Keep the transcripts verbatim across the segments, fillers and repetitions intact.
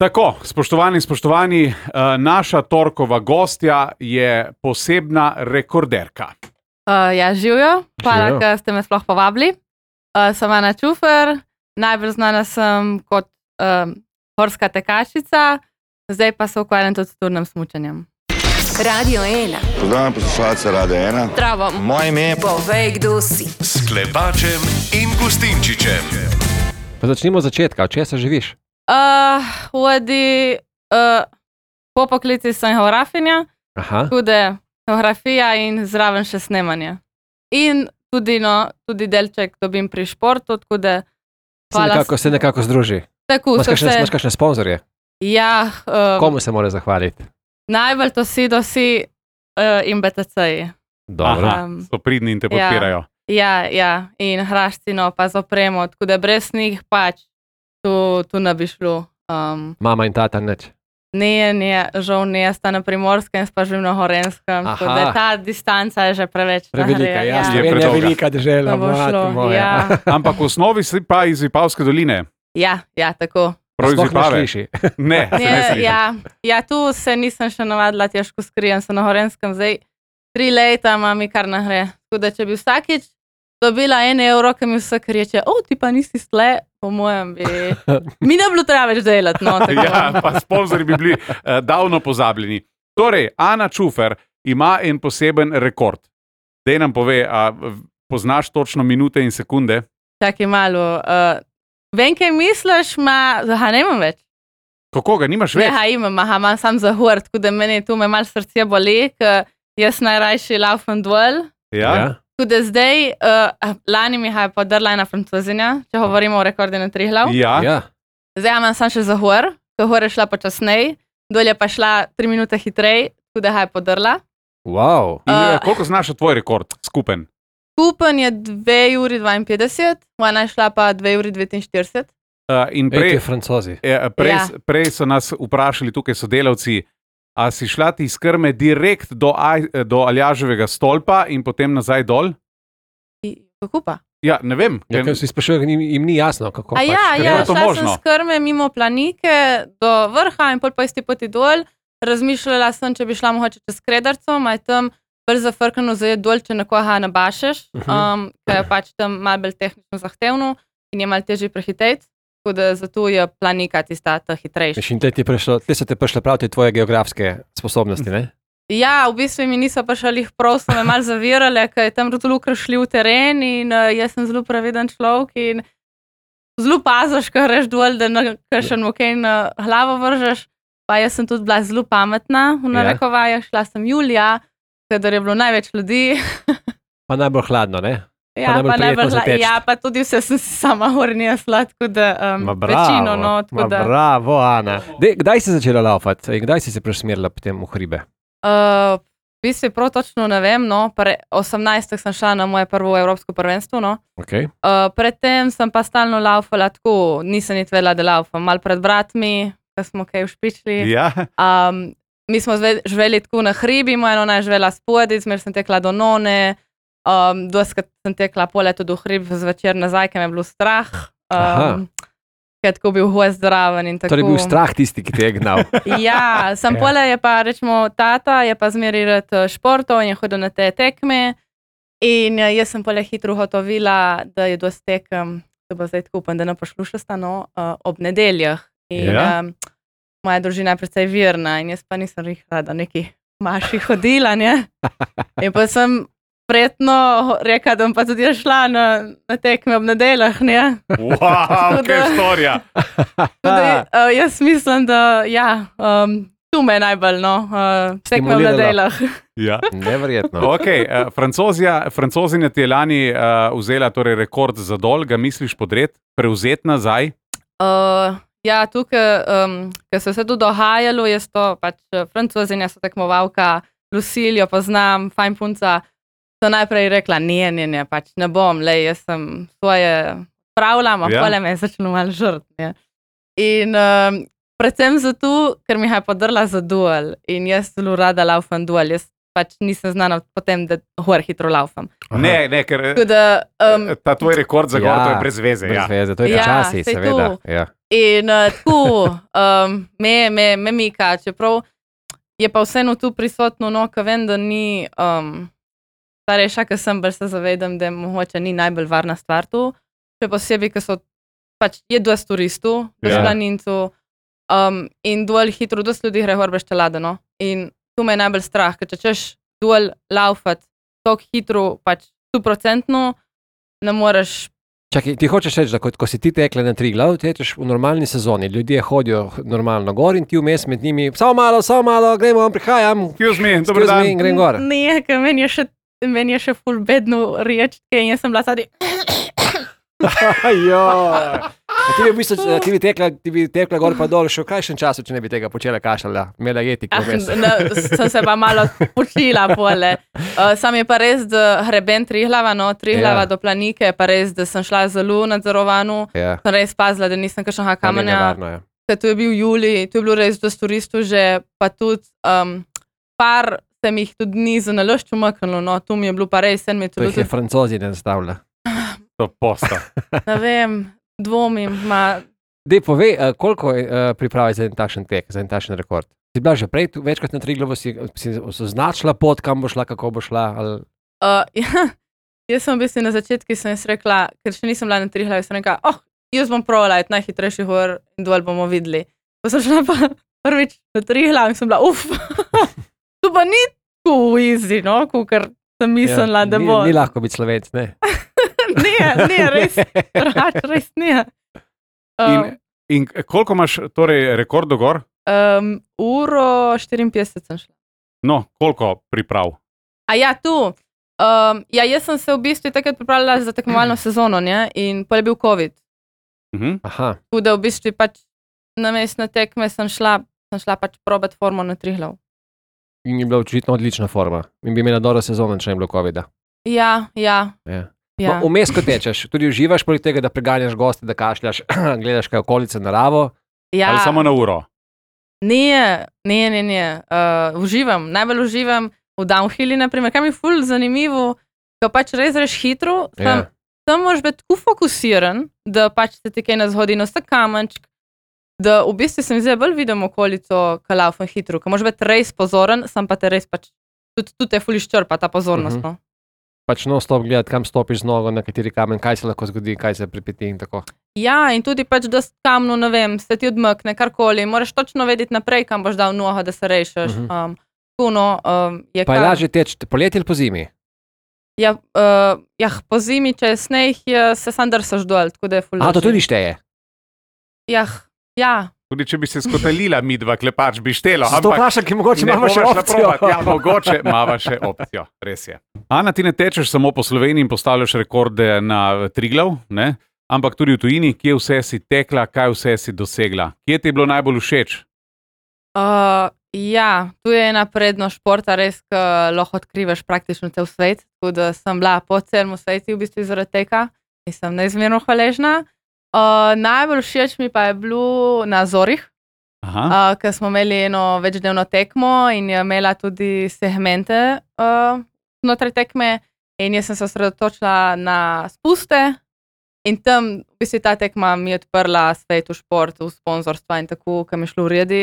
Tako, spoštovani, spoštovani, naša torkova gostja je posebna rekorderka. Uh, ja, živijo. Hvala, da ste me sploh povabili. Uh, sem Ana Čufer, najbolj znana sem kot um, horska tekačica, zdaj pa se ukvarjam tudi s turnim smučanjem. Radio ena. Pozdravljam poslušalce Radio ena. Zdravo. Moje ime je Povej, kdo si. S Klepačem in Gustinčičem. Pa začnimo od začetka. Od česa živiš? Uh, vodi, uh, po poklici sem geografinja, tudi geografija in zraven še snemanje. In tudi, no, tudi delček dobim pri športu, tako da... Se nekako, se nekako združi. Tako, Imaš kakšne, se... imaš kakšne sponzorje? Ja. Um, Komu se mora zahvaliti? Najbolj to si dosi uh, in B T C-ji. Dobro. Aha, so pridni in te podpirajo. Ja, ja, in hraščino pa z opremo, tako da brez njih pač tu, tu ne bi šlo. Um, Mama in tata neč? Ne, ne, žal ne, sta na Primorskem, pa živim na Horenskem, tako da ta distanca je že preveč. Prevelika, ja, je je velika država, mati moja. Ja. Ampak v osnovi si pa iz Vipavske doline. Ja, ja, tako. Prav iz Sploh ne Vipave. sliši. Ne, se ne Ne, slišim. ja, ja, tu se nisem še navadila, težko skrijem, sem na Horenskem, zdaj tri leta mami kar nahre. Tako da, če bi vsakič dobila en evro, ki mi vse reče, o, ti pa nisi stle, po mojem bi... Mi ne bilo treba več delati, no, tako. Ja, pa sponzori bi bili uh, davno pozabljeni. Torej, Ana Čufer ima en poseben rekord. Dej nam pove, a poznaš točno minute in sekunde? Čakaj malo. Uh, vem, kaj misliš, ma... Aha, ne imam več. Kako ga, nimaš več? Ja, imam, aha, imam sam za hur, tako da meni tu me malo srce boli, ker jaz najrajši laufam dol. Ja? Ja. Tako da zdaj, uh, lani mi je podrla ena francozinja, če govorimo o rekordu na Triglav. Ja. Ja. Zdaj imam sam še za hur, ker hur je šla počasnej, dol je pa šla tri minute hitrej, tako da je podrla. Wow. In Uh, uh, koliko znaša tvoj rekord skupen? Skupen je dve uri dvainpetdeset, ona je šla pa dve uri devetinštirideset. Uh, in Ej, prej, ti Francozi. eh, prej, Ja. prej so nas vprašali tukaj sodelavci, a si šla ti iz Krme direkt do, Aj, do Aljaževega stolpa in potem nazaj dol? Kako pa? Ja, ne vem. Ja, ker si sprašujem, jim, jim ni jasno, kako A pač. ja, kako ja, je to šla možno? sem s Krme mimo Planike do vrha in pol pa isti poti dol. Razmišljala sem, če bi šla mogoče čez Kredarco, maj tam bolj zafrkano zajeti dol, če nekoga nabašeš, um, ker je pač tam malo bolj tehnično zahtevno in je malo težje prehiteti. Tako da zato je Planika tista ta hitrejša. In te, ti prišlo, te so te prišle prav te tvoje geografske sposobnosti, ne? Ja, v bistvu mi niso prišli prav, so me malo zavirali, ker je tam zelo šli v teren in uh, jaz sem zelo previden človek in zelo paziš, ko greš dol, da na kakšen mokej na glavo vržeš. Pa jaz sem tudi bila zelo pametna, v narekovajah, šla sem julija, kadar je bilo največ ljudi. Pa najbolj hladno, ne? Ja, najbolj pa, prijetno najbolj, zateči. ja, pa tudi vse sem si sama hornija sladko, da um, Ma bravo, večino. No, tako ma da, bravo, Ana. Dej, kdaj si začela laufati in kdaj si se presmerila potem v hribe? uh, v bistvu prav točno ne vem, no, pre osemnajstih sem šla na moje prvo evropsko prvenstvo, no. Okay. Uh, predtem sem pa stalno laufala tako, nisem niti vedela, da laufam. Mal pred bratmi, ko smo kaj ušpičili. Ja. Um, mi smo zve, živeli tako na hribi, moja nona je živela spodaj, zmer sem tekla do none, um, doskrat sem tekla pol leto do hrib zvečer nazaj, ker me je bilo strah. Um, ker je tako bil hoj zdraven in tako. Torej bil strah tisti, ki te je gnal. Ja, sem Ja. pole je pa, rečemo, tata je pa zmeri rad športov in je hodil na te tekme in eh, jaz sem pole hitro ugotovila, da je dosti tekem, to bo zdaj tako upam, da ne poslušasta, no, uh, ob nedeljah. In Ja. um, moja družina je precej virna in jaz pa nisem rih rada neki maši hodila, ne. In pa sem prijetno rekla, da bom pa tudi šla na, na tekme ob nedeljah, ne. Wow, Tako kaj da- storja. Tudi, uh, jaz mislim, da ja, um, tu me je najbolj, no, uh, tekme v Stimuliralo. nedeljah. Ja. Neverjetno. Okay, uh, Francozija, Francozinja ti je lani uh, vzela torej rekord za dol, ga misliš podret, prevzeti nazaj? Uh, ja, tukaj, um, ker se je vse to dogajalo, jaz to pač uh, Francozinja so tekmovalka, Luciljo poznam, fajn punca, so najprej rekla, ne, ne, ne, pač ne bom, lej, jaz sem svoje pravljam, a Ja. pole me je začelo malo žrt, ne. In um, predvsem zato, ker mi je podrla za duel in jaz zelo rada laufam duel, jaz pač nisem znana potem, da hor hitro laufam. Ne, ne, ker da, um, ta tvoj rekord za gor, Ja, to je brez veze. Brez Ja. veze, to je Ja, počasi, saj seveda. to. Ja. In uh, tako, um, me, me, me mika, čeprav je pa vseeno tu prisotno, no, ka vem, da ni, um, starejša, ker sem, bolj se zavedam, da mogoče ni najbolj varna stvar tu, še posebej, ker so, pač je dosti turistov, dosti Ja. planincev, um, in dol hitro, dosti ljudi gre gor brez čelade, no, in tu me je najbolj strah, ker če češ dol laufat tako hitro, pač stoprocentno, ne moreš. Čakaj, ti hočeš reči, da ko, ko si ti tekla na Triglav, tečeš v normalni sezoni, ljudje hodijo normalno gor in ti vmes med njimi, samo malo, samo malo, gremo, prihajam, Excuse me, dober excuse dan. me in grem gor. Ne, ker meni je še, meni je še ful bedno rečke in jaz sem bila sadi. Joj. A Ti bi, v bistvu, ti, bi tekla, ti bi tekla gor pa dol še v krajšem času, če ne bi tega počela kašljala, imela jetik Ah, vmes. ne, sem se pa malo počila pole. Uh, sam je pa res, da hreben Triglava, no, Triglava Ja. do Planike, je pa res, da sem šla zelo nadzorovano. Ja, Sem res pazila, da nisem kakšnega to ni kamenja. nevarno, ja. Ker tu je bil Julij, tu je bilo res dosti turistov že, pa tudi um, par se mi jih tudi ni za nalošč umaknilo, no, tu mi je bilo pa res, en mi je To tudi, jih je Francozi ne zastavlja. To posta. ne vem, dvomim, ma, Dej, povej, uh, koliko uh, pripravi za en takšen tek, za en takšen rekord? Si bila že prej tu, večkrat na Triglavu, si, si označila pot, kam bo šla, kako bo šla? Ali... Uh, ja, jaz sem v bistvu na začetku sem jaz rekla, ker še nisem bila na Triglavu, sem rekla, oh, jaz bom probala, je najhitrejši gor in dol bomo videli. Pa sem šla pa prvič na Triglav in sem bila, uf, tu pa ni tako easy, no, ker sem mislila, da ni, bo. Ni lahko biti Slovenc, ne? Ne, ne, res, rač, res ne. In, Um, in koliko imaš torej rekord do gor? um, uro štiriinpetdeset sem šla. No, koliko priprav? A ja, tu. Um, ja, jaz sem se v bistvu takrat pripravljala za tekmovalno sezono, ne, in pa je bil COVID. Mhm. Aha, Tako da v bistvu pač na mestne tekme sem šla, sem šla pač probat formo na Triglav. in je bila očitno odlična forma. In bi imela dobro sezono, če ne bi bilo covida. Ja, ja. Ja. ja. No, vmes, ko tečeš, tudi uživaš poleg tega, da preganjaš goste, da kašljaš, gledaš kaj okolice, naravo. ja. Ali samo na uro? Ne, ne, ne, ne. Uh, uživam, najbolj uživam v downhilli, naprimer, kaj mi je ful zanimivo, ko pač res reš hitro, tam, Ja. tam moraš biti tako fokusiran, da pač se ti kaj ne zgodi, no, sta kamenčk, da v bistvu se mi zdaj bolj vidim okolico, ko laufam hitro, ko moraš biti res pozoren, sam pa te res pač, tudi, tudi te ful izčrpa ta pozornost, Mhm. no. Pač non stop gledati, kam stopiš z nogo, na kateri kamen, kaj se lahko zgodi, kaj se pripeti in tako. Ja, in tudi pač, da s kamnu, ne vem, se ti odmakne, karkoli, moraš točno vedeti naprej, kam boš dal nogo, da se rešiš. Mhm. Um, Puno, um, je Pa je kar- lažje teči poleti ali po zimi? Ja, uh, ja, po zimi, če je sneg, je, se sam drsaš dol, tako da je ful. A, to lažje. tudi šteje. Ja, ja. Tudi če bi se skotalila midva, klepač bi štelo. Zato vprašam, ki mogoče ne imamo še bova šla opcijo. provat. Ja, mogoče imamo še opcijo, res je. Ana, ti ne tečeš samo po Sloveniji in postavljaš rekorde na Triglav, ne? Ampak tudi v tujini, kje vse si tekla, kaj vse si dosegla. Kje ti je bilo najbolj všeč? Uh, ja, tu je ena prednost športa, res, ki lahko odkrivaš praktično cel svet. Tako da sem bila po celem svetu, v bistvu zaradi tega in sem neizmerno hvaležna. Uh, najbolj všeč mi pa je bilo na Zorih, Aha. uh, ker smo imeli eno večdnevno tekmo in je imela tudi segmente uh, znotraj tekme. In jaz sem se osredotočila na spuste, in tam v bistvu ta tekma mi je odprla svet v športu, v sponzorstva in tako, ki mi je šlo uredi.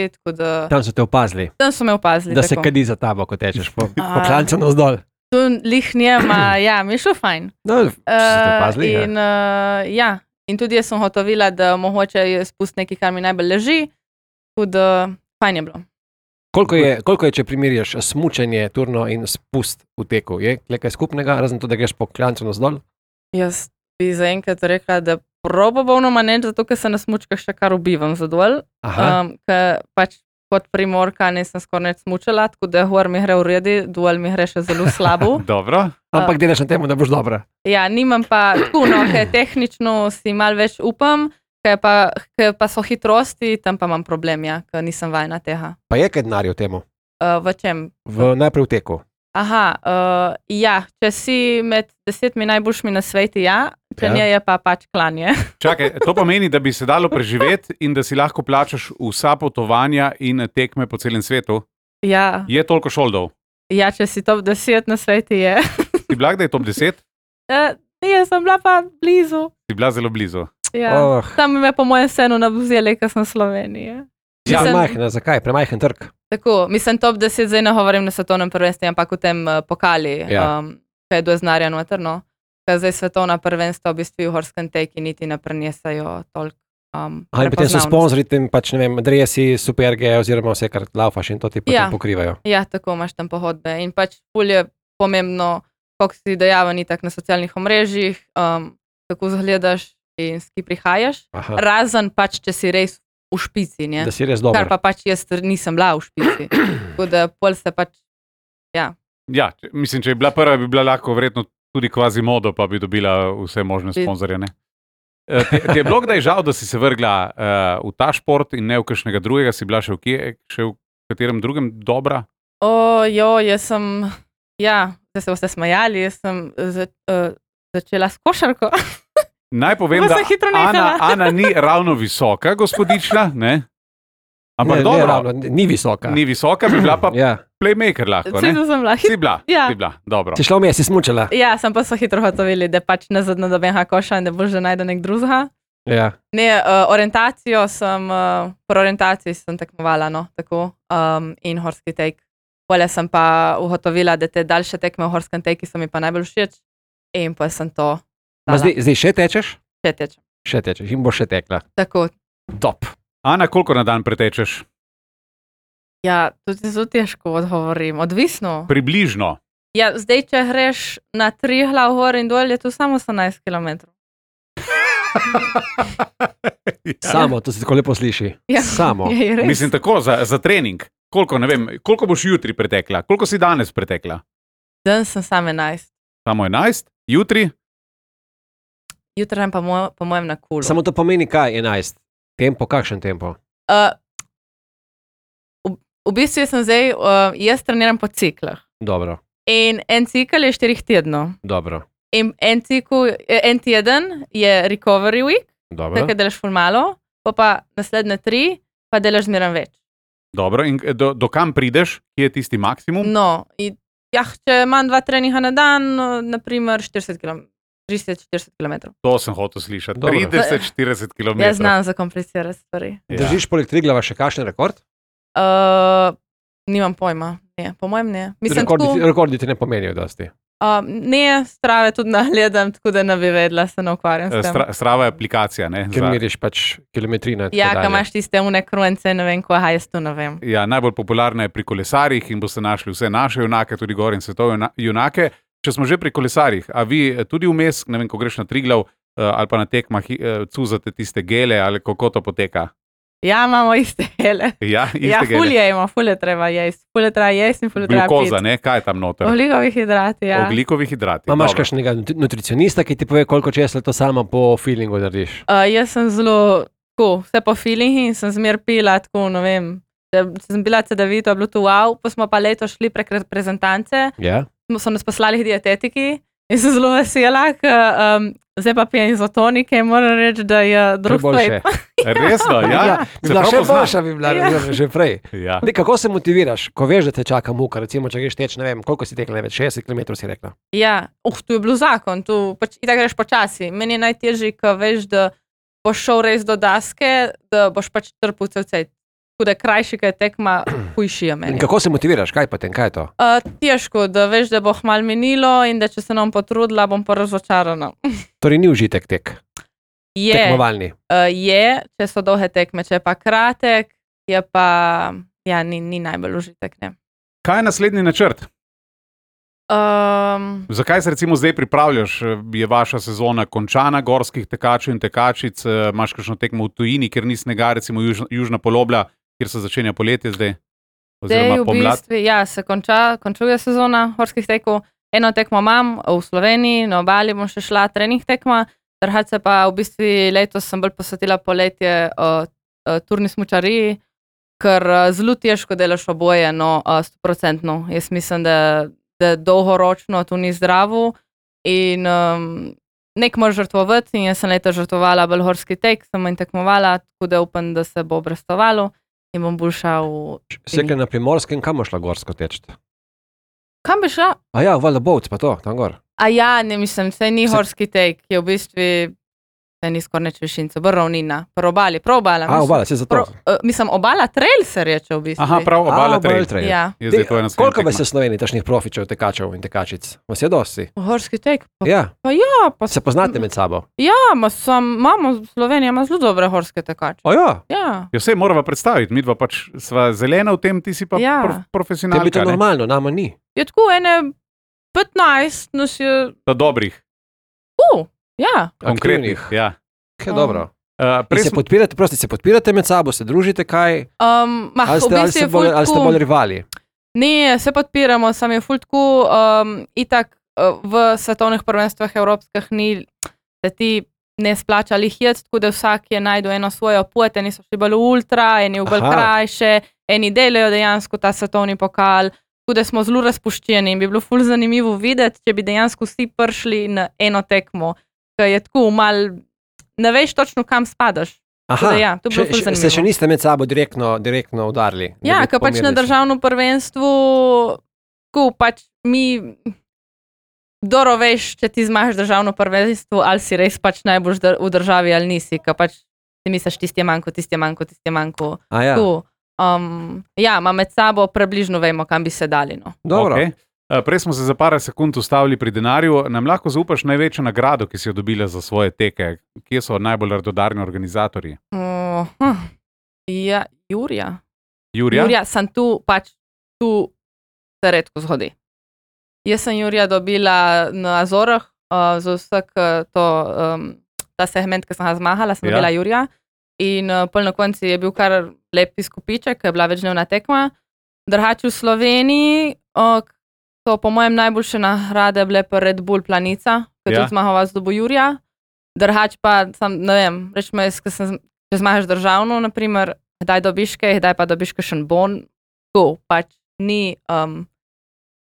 Tam so te opazili, Tam so me opazili. da se tako. kadi za tabo, ko tečeš po, po A. klancu navzdol. Tu lih njema, ja, mi je šlo fajn. No, so te Uh, opazili, ja. in, uh, ja. in tudi jaz sem hotovila, da mogoče je spust nekaj, kar mi najbolj leži. Tudi uh, fajn je bilo. Koliko je, koliko je, če primerjaš smučanje, turno in spust v teku? Je nekaj skupnega, razen to, da greš po klancu navzdol? Jaz bi zaenkrat rekla, da probabovno manj, zato ker se na smučkah še kar ubivam zadolj. Aha, Um, ker pač kot primorka nisem skoraj nič smučala, tako da gor mi gre v redu, dol mi gre še zelo slabo. Dobro. ampak delaš na tem, da boš dobra. Ja, nimam pa tako, no, ker tehnično si mal več upam, ker pa, ker pa so hitrosti, tam pa imam problem, ja, ker nisem vajena tega. Pa je kaj denarja v tem, Uh, v čem? v najprej v teku. Aha, uh, ja, če si med desetimi najboljšimi na svetu, ja, če Ja. ja. ne je pa pač klanje. Čakaj, to pomeni, da bi se dalo preživeti in da si lahko plačaš vsa potovanja in tekme po celem svetu. Ja, Je toliko šoldov? Ja, če si top deset na svetu, je. Si bila kdaj top deset? Uh, ne, sem bila pa blizu. Si bila zelo blizu. Ja. Oh. Tam me po mojem senu nabuzeli, ker sem v Sloveniji. Ja, Mislim- majhna, zakaj? Premajhen trg. Tako, mislim, top deset zdaj ne govorim na svetovnem prvenstvu, ampak v tem uh, pokali, Ja. um, kaj je doznarja noter, no. Ker zdaj svetovna prvenstva v bistvu v horskem teki niti ne prenesajo toliko um, Aha, in potem so prepoznavnosti. sponzorji, tem pač, ne vem, dresi, superge oziroma vse, kar laufaš in to ti potem Ja. pokrivajo. Ja, tako imaš tam pohodbe. In pač ful je pomembno, koliko si dejaven itak na socialnih omrežjih, um, kako zgledaš in s ki prihajaš. Aha, Razen pač, če si res v špici, ne. da si res Kar dober. pa pač jaz nisem bila v špici. Tako da pol se pač, ja. Ja, če- mislim, če je bila prva, bi bila lahko verjetno tudi kvazi modo, pa bi dobila vse možne Bi- sponzorje. Ne? Eh, Ti, ti je bilo kdaj žal, da si se vrgla uh, v ta šport in ne v kakšnega drugega, si bila še v, kje, še v katerem drugem dobra? O, jo, jaz sem, ja, da se boste smajali, jaz sem za, uh, začela s košarko. Naj povem, Pa da sem hitro Ana, nehala. Ana ni ravno visoka, gospodična, ne? Ampak ne, dobro, ne, ravno, ni visoka. ni visoka, bi bila pa Ja. playmaker lahko, ne? Vse sem bila. Si bila, Ja. si bila, dobro. Si šla vmes, si smučala. Ja, sem pa so hitro hotovili, da pač ne zadnjo dobenha koša in da boš že najde nek drugega. Ja. Ne, uh, orientacijo sem, uh, po orientaciji sem tekmovala, no, tako, um, in horski tek. Pole sem pa ugotovila, da te daljše tekme v horskem teki so mi pa najbolj všeč in pa sem to Ma zdaj, zdaj še tečeš? še tečem. Še tečeš in boš še tekla. Tako, Top. Ana, koliko na dan pretečeš? ja, tudi zelo težko odgovorim, odvisno. Približno. Ja, zdaj, če greš na tri glav gor in dol, je to samo osemnajst kilometrov. Samo, to se tako lepo sliši. Ja. Samo. Je, je res. Mislim tako, za, za trening. Koliko, ne vem, koliko boš jutri pretekla? Koliko si danes pretekla? Dan sem sam enajst. Samo enajst? Jutri? Jutri grem pa mo po mojem na kulu. Samo to pomeni kaj, enajst. Tempo, kakšen tempo? Uh, v, v bistvu jaz sem zdaj, uh, jaz treniram po ciklah. Dobro, In en cikel je štirih tednov. dobro, In en, cikl, en teden je recovery week, dobro. takrat delaš ful malo, pa pa naslednje tri, pa delaš zmeraj več. Dobro, in do, do kam prideš, kje je tisti maksimum? No, in, ja, če imam dva treninga na dan, no, naprimer štirideset kilometrov. trideset štirideset kilometrov. To sem hotel slišati. Dobro. trideset štirideset kilometrov. Jaz znam zakomplicirati stvari. Ja. Držiš poleg Triglava še kakšen rekord? Uh, nimam pojma, ne, po mojem ne. Mislim, Rekordi, tako, ti- rekordi ti ne pomenijo dosti. uh, ne, strave tudi nagledam, tako da ne bi vedela, se ne ukvarjam s tem. Stra, strava je aplikacija. Ne, Ker za, meriš pač kilometrine. in tako Ja, dalje. kaj imaš tiste une krujence, ne vem, ko jaz tu ne vem. ja, najbolj popularna je pri kolesarjih in boste našli vse naše junake, tudi gor in svetovne juna- junake. Če smo že pri kolesarjih, a vi eh, tudi vmes, ne vem, ko greš na Triglav uh, ali pa na tekmah, uh, cuzate tiste gele ali kako to poteka? Ja, imamo iste hele. Ja, iste Ja, gele. fulje ima, fulje treba jesti, fulje treba jesti in fulje treba Glukoza, piti. ne? Kaj je tam noter? Oglikovi hidrati, ja. Oglikovi hidrati. Ma imaš dobro. kakšnega nutri- nutricionista, ki ti pove, koliko česa to samo po feelingu narediš? Uh, jaz sem zelo, tako, vse po feelingi in sem zmer pila, tako, ne vem, da sem bila cedavito, je bilo to wow, pa smo pa leto šli prek reprezentance, Ja? smo- so nas poslali k dietetiki in sem zelo vesela, ker um, zdaj pa pijem izotonike in moram reči, da je drug Boljše. Resno, ja. bi Se bila prav še pozna. boljša, bi bila Ja. ja. že prej. Ja. Dej, kako se motiviraš, ko veš, da te čaka muka, recimo, če greš teč, ne vem, koliko si tekla, ne vem, šestdeset kilometrov si rekla. Ja, uh, tu je bil zakon, tu pač itak greš počasi. Meni je najtežje, ko veš, da boš šel res do daske, da boš pač trpel cel cel. Tako da krajši, kaj je tekma, hujši je In meni. kako se motiviraš, kaj potem, kaj je to? Uh, težko, da veš, da bo hmal minilo in da če se nam potrudila, bom pa razočarana. Torej ni užitek tek, Je, tekmovalni. uh, je, če so dolge tekme, če je pa kratek, je pa, ja, ni, ni najbolj užitek, ne. Kaj je naslednji načrt? Um, Zakaj se recimo zdaj pripravljaš? Je vaša sezona končana, gorskih tekačev in tekačic, eh, imaš kakšno tekmo v tujini, ker ni snega, recimo juž, južna polobla, kjer se začenja poletje zdaj? Zdaj Oziroma v pomlad? bistvu, ja, se konča, končuje sezona horskih tekov. Eno tekmo imam v Sloveniji, na obali bom še šla trening tekma, drugače pa v bistvu letos sem bolj posvetila poletje uh, uh, turni smučariji, ker uh, zelo težko delaš oboje, no, uh, sto procentno. Jaz mislim, da, da dolgoročno to ni zdravo in um, nek moraš žrtvovati in jaz sem letos žrtvovala bolj horski tek, sem manj tekmovala, tako da upam, da se bo obrestovalo in bom bolj šla v Sekle na Primorskem, kam boš šla gorsko teč? Kam bi šla? A ja, valjda Bovc pa to, tam gor. A ja, ne mislim, se ni Se- horski tek, je v bistvu, se ni skoraj neč višinca, bo ravnina, pro obali, pro obala. A, mislim. obala, se za to. Pro, uh, mislim, obala trail se reče v bistvu. Aha, prav, obala A, trail. trail. Ja, Je zdaj to ena Koliko vas je v Sloveniji tašnih profičev, tekačev in tekačic? Vas je dosti? horski tek. Pa, Ja, pa ja, pa se poznate med sabo. Ja, ma sam, imamo, Slovenija ima zelo dobre horske tekače. O ja, Ja, Ja, vse morava predstaviti, mi dva pač sva zelena v tem, ti si pa Ja. prof, tebi to profesionalka. ne? normalno, nama ni. je tako ene petnajst nas je, Ta dobrih, uh, ja, konkretnih. Aktivnih. Ja. Kaj Um, dobro. Uh, In prej se smo- podpirate, prosti, se podpirate med sabo, se družite kaj? um, ma, Ali v ste, ali bistvu ste, je bolj, ful ali ste tako- bolj rivali? Ne, se podpiramo, sam je ful tako, um, itak uh, v svetovnih prvenstvih evropskih ni, da ti ne splača lihjet, tako da vsak je najdel eno svojo pot, eni so šli bolj v ultra, eni v bolj Aha. krajše, eni delajo dejansko ta svetovni pokal, tako da smo zelo razpuščeni in bi bilo ful zanimivo videti, če bi dejansko vsi prišli na eno tekmo, ki je tako mal, ne veš točno kam spadaš. Tako da ja, to bi bilo še, ful še, zanimivo. se še niste med sabo direktno, direktno udarili? da Ja, bi ker pač na pomerili se? državnem prvenstvu, ko pač mi, dobro veš, če ti zmaš državno prvenstvo, ali si res pač najboljš dr- v državi ali nisi, ker pač si misliš, tisti je manjko, tisti je manjko, tisti je manjko. A ja, Tako, um, ja, ima med sabo približno vemo, kam bi se dali. No. dobro. Okay. Uh, Prej smo se za par sekund ustavili pri denarju. Nam lahko zaupaš največjo nagrado, ki si jo dobila za svoje teke? Kje so najbolj radodarni organizatorji? Uh, hm. Ja, Jurija. Jurija? Jurija, sem tu, pač tu se redko zgodi. Jaz sem Jurija dobila na Azorah, uh, za vsak uh, to, um, ta segment, ki sem ga zmahala, sem Ja. dobila Jurija. In uh, pol na koncu je bil kar lep izkupiček, ker je bila večdnevna tekma. Drugače v Sloveniji uh, so po mojem najboljše nagrade bile pa Red Bull Planica, ki je Ja. tudi zmagoval z dobo Jurija. Drugače pa, sam, ne vem, rečemo, jaz, ker sem, če zmagaš državno, naprimer, kdaj dobiš kaj, kdaj pa dobiš kakšen bon, tako pač ni, um,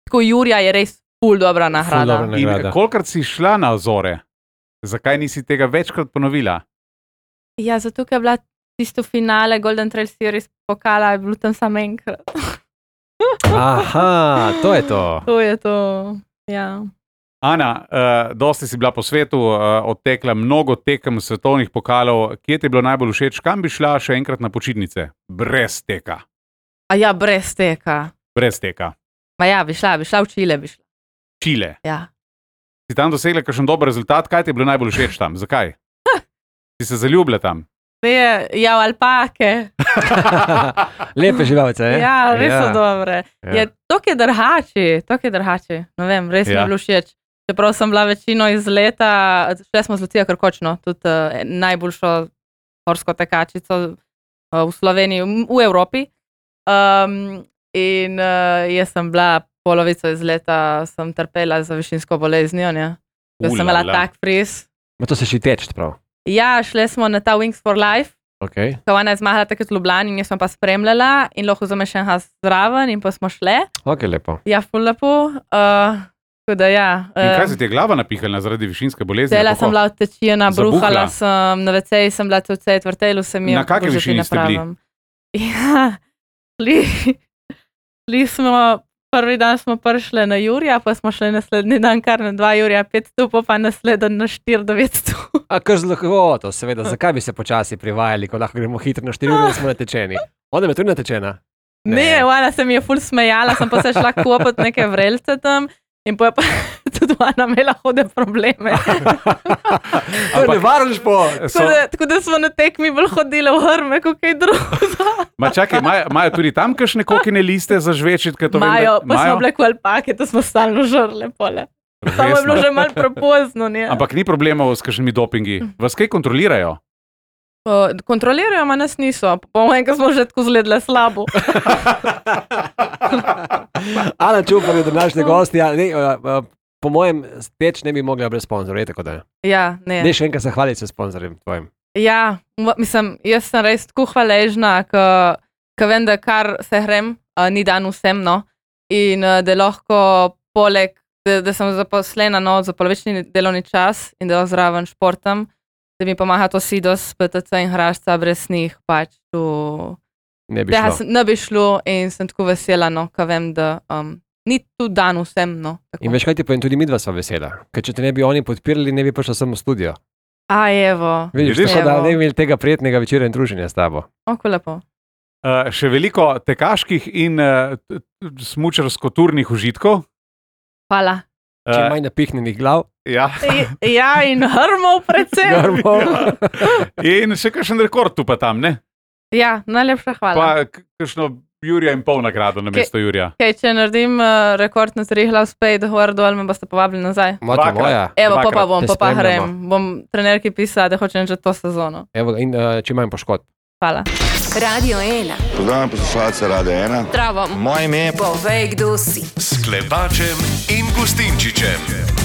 tako Jurija je res ful dobra nagrada. dobra In nagrada. kolikrat si šla na Azore? Zakaj nisi tega večkrat ponovila? Ja, zato, ker je bila tisto finale Golden Trail Series pokala, je bilo tam samo enkrat. Aha, to je to. To je to, ja. Ana, uh, dosti si bila po svetu, uh, odtekla mnogo tekem svetovnih pokalov. Kje ti je bilo najbolj všeč? Kam bi šla še enkrat na počitnice? Brez teka. A ja, brez teka. Brez teka. Ma ja, bi šla, bi šla v Čile, bi šla. Čile. Ja. Si tam dosegla kakšen dober rezultat? Kaj ti je bilo najbolj všeč tam? Zakaj? Si se zaljubila tam? Ne, ja, v alpake. Lepe živalce, eh? Ja, res so dobre. Ja. Je, to je drhači, to je drhači. Ne vem, res mi Ja. je bilo všeč. Čeprav sem bila večino iz leta, šle smo z Lucijo Krkočno, tudi uh, najboljšo horsko tekačico uh, v Sloveniji, v, v Evropi. Um, in uh, jaz sem bila polovico iz leta, sem trpela za višinsko boleznijo, ne? Ko sem imela Ulala. tak friz. Ma to se še teč, prav. Ja, šle smo na ta Wings for Life. Okay. Ko ona je zmagala takrat v Ljubljani in jaz sem pa spremljala in lahko vzameš še enega zraven in pa smo šle. Ok, lepo. Ja, ful lepo. Uh, tako da ja. In kaj Uh, se ti je glava napihala zaradi višinske bolezni? Cela Kako? sem bila odtečena, Zabuhla? bruhala sem, na veceji sem bila tudi vse, vrtelu se mi je. Na kakšni bože, ti višini ne ste bili? pravim. Ja, šli, šli smo, prvi dan smo prišli na Jurija, pa smo šli naslednji dan kar na dva Jurija, pet stopov, pa naslednji na štiri, devet stopov. A kar zelo to, seveda, zakaj bi se počasi privajali, ko lahko gremo hitro na štiri ure in smo natečeni? Ona je tudi natečena. Ne, ona se mi je ful smejala, sem pa se šla kopati neke vrelce tam in pa je pa tudi ona imela hude probleme. To je nevaren šport. So, Tako da, tako da smo na tekmi bolj hodili v hrme, kot kaj drugega. ma čakaj, imajo- imajo tudi tam kakšne kokine liste za žvečit? kaj to vem, da- Imajo, pa imajo? smo bile kot alpake, to smo stalno žrle pole. Samo je Resno. bilo že malo prepozno. Ne? Ampak ni problemov s kakšnimi dopingi. Vas kaj kontrolirajo? O, kontrolirajo, ma nas niso. Po mojem, ko smo že tako zledle slabo. Ana Čupar je današnji gost. Ja, ne, uh, uh, po mojem, teč ne bi mogla brez sponzorja, je tako da. Ja, ne. Ne, še enkrat se hvaliti s sponzorjem tvojim. Ja, m- mislim, jaz sem res tako hvaležna, ker vem, da kar se grem, uh, ni dan vsem, no. In uh, da lahko poleg, da, da sem zaposlena no, za polovični delovni čas in da zraven športam, da mi pomaga to Sidos, P T C in Hrašca, brez njih pač tu. Ne bi Tega šlo. sem- ne bi šlo in sem tako vesela, no, ker vem, da um, ni tu dan vsem. No, In veš, kaj ti povem, tudi mi dva sva vesela. Ker če te ne bi oni podpirali, ne bi prišla sem v studio. A, evo. Vidiš, Vidiš? tako da Evo. ne bi imeli tega prijetnega večera in druženja s tabo. Oko lepo. Uh, še veliko tekaških in uh, smučarsko-turnih užitkov. Hvala. Čim Uh, manj napihnjenih glav. ja. Ja, in hrmov predvsem. Grmo. In še kakšen rekord tu pa tam, ne? Ja, najlepša hvala. Pa k- kakšno Jurija in pol nagrado na mesto Jurija. Okay, če naredim uh, rekord na treh glav spet, gor dol, me boste povabili nazaj. Mota Dvakrat. moja. Evo, pa pa Dvakrat bom, te pa pa spremljamo. grem. Bom trenerki pisala, da hočem že to sezono. Evo, in uh, čim manj poškodb. Hvala. Radio ena. Pozdravljam poslušalce Radia ena. Zdravo. Moje ime je Povej, kdo si. S Klepačem in Gustinčičem.